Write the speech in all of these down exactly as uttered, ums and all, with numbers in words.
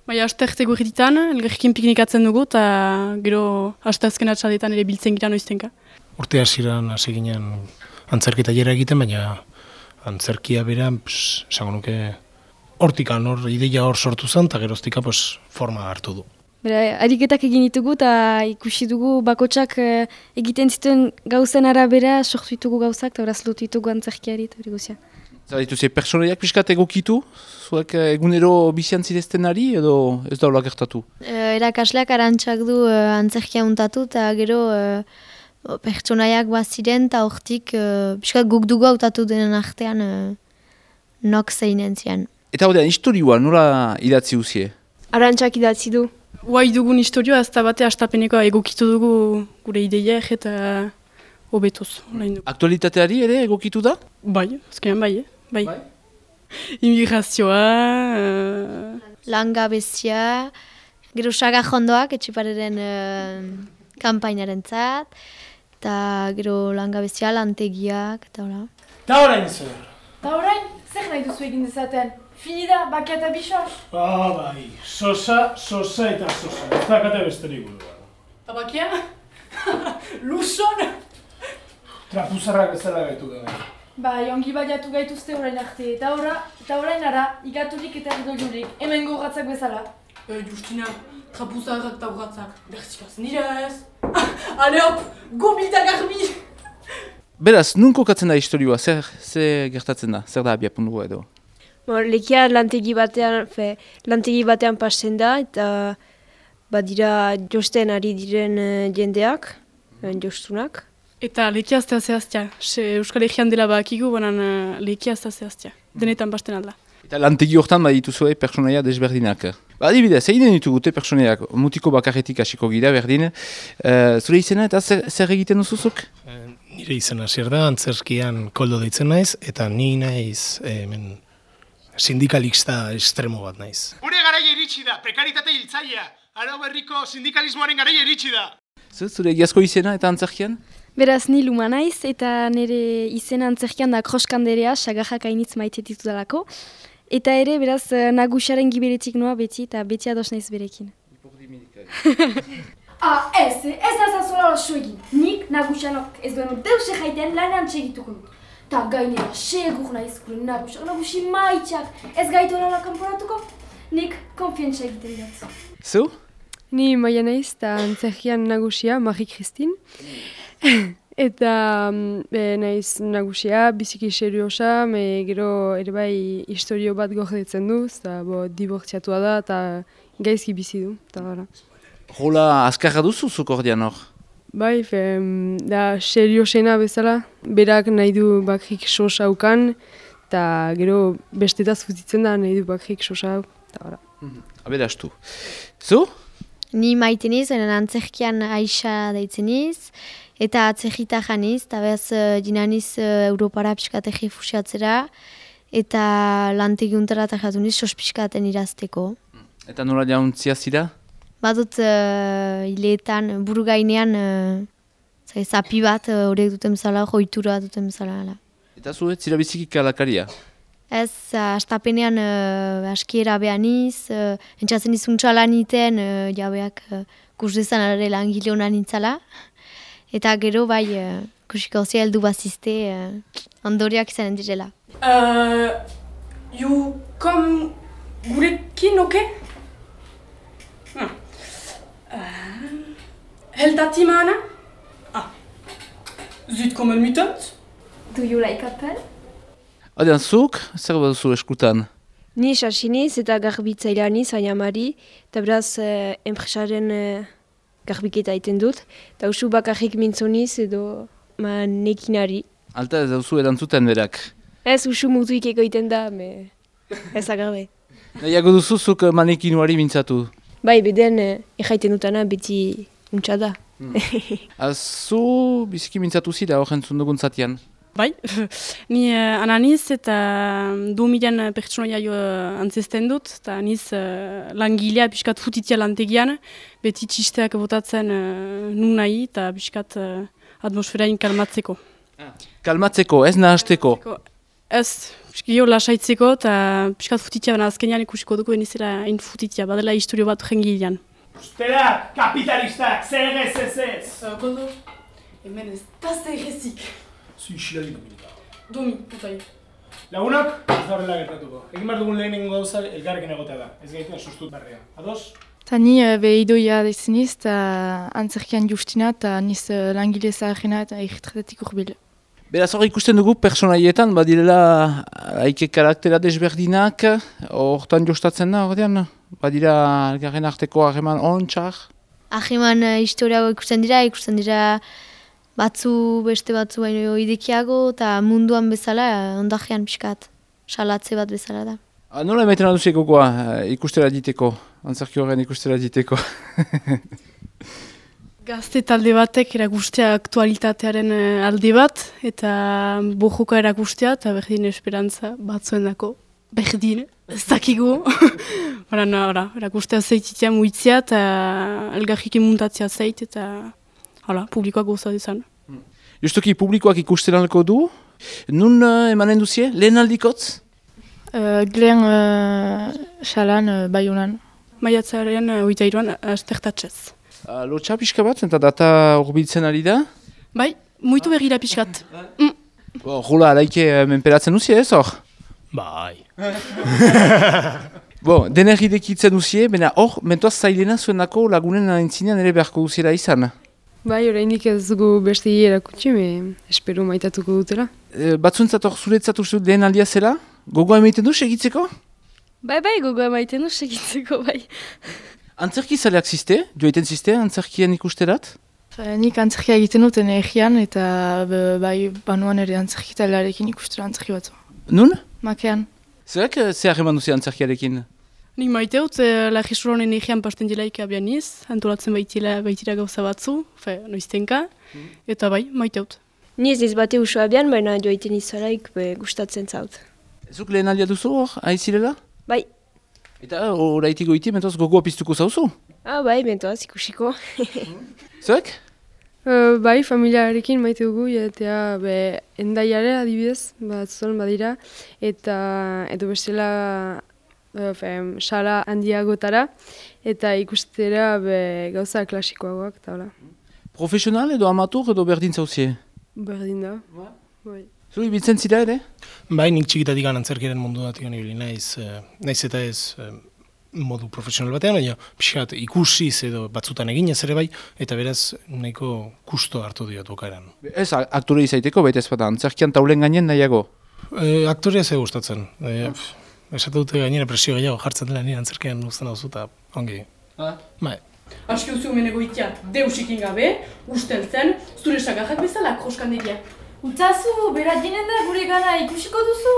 Bai, asterte gurrititan, elgerrekin piknikatzen dugu, eta gero asteazken atxaldetan ere biltzen gira noiztenka. Urte hasieran hasi ginen antzerki tailera egiten, baina antzerkia beran, esango nuke, hortikan, hor, ideia hor sortu zen, eta geroztika pues, forma hartu du. Bera, ariketak egin ditugu eta ikusi dugu bakotsak eh, egiten zituen gauzen arabera sortu ditugu gauzak eta horaz lotu ditugu antzerkiari eta hori guzia. Zer dituze, pertsonaiak pixkat egokitu? Zuek egunero bizian zireztenari edo ez daula gertatu? Uh, erakasleak arantxak du uh, antzerkia untatu eta gero uh, pertsonaiak baziren eta hortik uh, pixkat guk dugu hautatu denen artean uh, nok zeinen zian. Eta horrean, historioa nola idatzi uzie? Arantxak idatzi du. Guai dugun historioa ez da bate astapeneko egokitu dugu gure ideiak eta hobetuz. Aktualitateari ere egokitu da? Bai, azkenean bai, eh? bai. bai. Immigrazioa... Uh... Langabezia, gero sagajondoak etxipareren uh, kampainaren zat, eta gero langabezia, lantegiak, eta hola. Ta orain zer? Ta orain, zer nahi duzu egin dezaten? Finida, bakia eta bisos? Ah, bai, sosa, sosa eta sosa. Ez dakate besterik burua. Ta bakia? Luson? Trapuzarrak ez dela gaitu gara. Bai, ongi baiatu gaituzte orain arte. Eta ora, eta orain ara, igaturik eta erdoilurik. Hemen gogatzak bezala. E, Justina, trapuzarrak eta urratzak. Berzikaz nire ez. Ale hop, gomita garbi! Beraz, nun kokatzen da historioa? Zer, zer gertatzen da? Zer da abiapuntua edo? Lekia lantegi batean, fe, lantegi batean pasten da, eta badira josten ari diren uh, jendeak, uh, jostunak. Eta lekia aztea zehaztia. Euskal Herrian dela bakigu, banan uh, lekia aztea zehaztia. Denetan pasten alda. Eta lantegi hortan badituzue pertsonaia desberdinak. Ba, adibidez, egiten ditugute pertsonaiak, mutiko bakarretik hasiko gira berdin. Uh, zure izena eta zer, zer egiten duzuzuk? Uh, nire izena zer da, antzerkian koldo deitzen naiz, eta ni naiz hemen... sindikalista estremo bat naiz. Gure garaia iritsi da, prekaritate hiltzailea. Arau berriko sindikalismoaren garaia iritsi da. Zure egiazko izena eta antzerkian? Beraz ni Luma naiz eta nire izena antzerkian da Kroskanderea, sagajak hainitz maite ditudalako. Eta ere beraz nagusiaren giberetik noa beti eta beti ados naiz berekin. Ah, ez, ez nazazola oso egin. Nik nagusianok ez duen deuse jaiten lanean txegituko dut. Ta gainera, segur nahiz gure nagusak, nagusi maitxak, ez gaitu horrela kanporatuko, nik konfientza egiten dut. Zu? Ni Maia naiz eta antzerkian nagusia, Marie-Christine. Eta e, naiz nagusia, biziki seriosa, me gero ere bai historio bat gordetzen du, eta bo, dibortziatua da eta gaizki bizi du. Hola, azkarra duzu zuk ordean hor? Bai, fe, da seriosena bezala, berak nahi du bakrik sosa ukan, eta gero bestetaz fuzitzen da nahi du bakrik sosa hau, eta bara. Aberastu. Zu? Ni maite niz, antzerkian Aixa deitzen niz, eta atzerrita janiz, eta behaz dinaniz Europara pixkat errefusiatzera, eta lantegi untara eta jatu niz sos pixkaten irazteko. Eta nola jauntzia zira? Badut uh, hileetan, buru gainean, uh, zapi bat horiek uh, duten bezala, joitura duten bezala. Eta zu ez zira biziki kalakaria? Ez, uh, astapenean uh, askiera behan iz, uh, entzatzen izuntza lan iten, uh, jabeak uh, kusdezan ere langile honan nintzala. Eta gero bai, uh, kusiko zia heldu bazizte, uh, ondoriak izanen direla. Uh, you come gurekin, oke? Okay? Hmm. Uh, Heldati maana? Ah. Zut kommen mutant? Do you like apple? Adean zuk, zer baduzu eskutan? Ni sasiniz eta garbitzaileaniz, Ainamari, eta beraz eh, enpresaren eh, garbiketa egiten dut, eta usu bakarrik mintzoniz edo ma nekinari. Alta ez dauzu erantzuten berak? Ez usu mutuik egoiten da, me ez agarbe. Nahiago duzuzuk manekinuari mintzatu? Bai, beden eh, erraiten dutana beti untsa da. Hmm. Azu biziki mintzatu zira hor entzun dugun zatian? Bai, ni uh, ananiz eta du milan pertsonaia uh, antzesten dut, eta aniz uh, langilea piskat futitia lantegian, beti txisteak botatzen uh, nun nahi eta piskat uh, atmosferain kalmatzeko. Ah. Kalmatzeko, ez nahasteko? Ez, Gio lasaitzeko eta piskat futitia baina azkenean ikusiko dugu benizela hain futitia, badela historio bat jengilean. Ustera, kapitalistak, zer ez ez ez! Kondo, hemen ez da zerrezik. Zu isiladik komunika. Domi, putai. Lagunak, ez da horrela gertatuko. Egin behar dugun lehenengo gauza elgarrekin egotea da. Ez gaitu sustut barrea. Ados? Ta ni be idoia deziniz, eta antzerkian justina, eta niz langile zaharrena eta egitretetik urbil. Beraz hor ikusten dugu personaietan, badirela haike karaktera desberdinak, hortan jostatzen da, ordean? Badira elgarren arteko harreman ontsak? Ahriman uh, historiago ikusten dira, ikusten dira batzu beste batzu baino idekiago, eta munduan bezala uh, ondajean pixkat, salatze bat bezala da. Ah, nola emaiten aduzik gogoa uh, ikustera diteko, antzerki horren ikustera diteko? Gazte talde batek erakustea aktualitatearen uh, alde bat, eta bojoka erakustea, eta berdin esperantza batzuen dako. Berdin, ez dakigu. Bara, no, erakustea zeititia muitzea, eta elgarrik imuntatzea zeit, eta hala, publikoak goza dezan. Justuki publikoak ikusten alko du, nun uh, emanen duzie, lehen aldikotz? Uh, Glen uh, xalan uh, Baionan. Maiatzaren uh, oita iruan, astertatxez. Uh, Lotxa pixka bat, eta data urbiltzen ari da? Bai, muitu bergira pixkat. Mm. Bo, Jula, alaike uh, menperatzen duzie ez hor? Bai. Bo, dener idekitzen duzie, baina hor, mentoaz zailena zuen dako lagunen antzinean ere beharko duziera izan. Bai, oraindik ez dugu beste erakutsi, me espero maitatuko dutela. E, Batzuentzat hor zuretzat uste dut lehen aldia zela? Gogoa emaiten du segitzeko? Bai, bai, gogoa emaiten du segitzeko, bai. Antzerki zaleak ziste? Joaiten ziste antzerkian ikusterat? Fa, nik antzerkia egiten dut energian, eta be, bai banuan ere antzerki taldearekin ikustera antzerki batzu. Nun? Makean. Zerak zer harreman duzi antzerkiarekin? Nik maite dut, eh, Lagisuron enegian pasten dilaik abianiz, antolatzen baitila, baitira gauza batzu, fe, noiztenka, eta bai, maite dut. Ni ez ez bate usua abian, baina joaiten izalaik be, gustatzen zaut. Zuk lehen aldia duzu hor, aizirela? Bai. Eta horaitik goiti, mentoz gogoa piztuko zauzu? Ah, bai, mentoaz ikusiko. Zerak? Uh, bai, familiarekin maite dugu, eta be, endaiare adibidez, bat zuen badira, eta edo bestela uh, fe, sala handiagotara, eta ikustera be, gauza klasikoagoak, eta hola. Profesional edo amatur edo berdin zauzie? Berdin da. Bai. Zu ibiltzen zira ere? Bai, nik txikitatik antzerkiaren mundu datik ibili naiz, eh, naiz eta ez eh, modu profesional batean, baina pixkat ikusiz edo batzutan eginez ere bai, eta beraz nahiko kusto hartu diot bukaeran. Ez, aktore izaiteko, baita ez bada, antzerkian taulen gainen nahiago? E, aktorea ze gustatzen. E, esate dute gainera presio gehiago jartzen dela nire antzerkian uzten hau eta ongi. Ah? Bai. Aski duzu meneko itia deusikin gabe, usteltzen, zure sagarrak bezala kroskandegia. Utsazu, berat jenen da gure gana ikusiko duzu.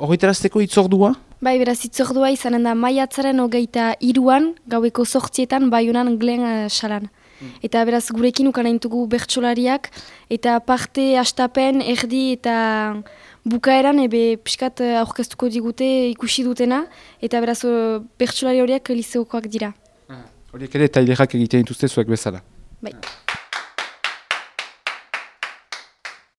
Horretarazteko itzordua? Bai, beraz itzordua izanen da maiatzaren hogeita iruan, gaueko zortzietan, Baionan Glen uh, salan. Mm. Eta beraz gurekin ukanaintugu bertsolariak, eta parte astapen, erdi eta bukaeran ebe pixkat aurkeztuko digute ikusi dutena, eta beraz uh, bertsolari horiek liseokoak dira. Horiek ere tailerak egiten dituzte zuek bezala. Bai.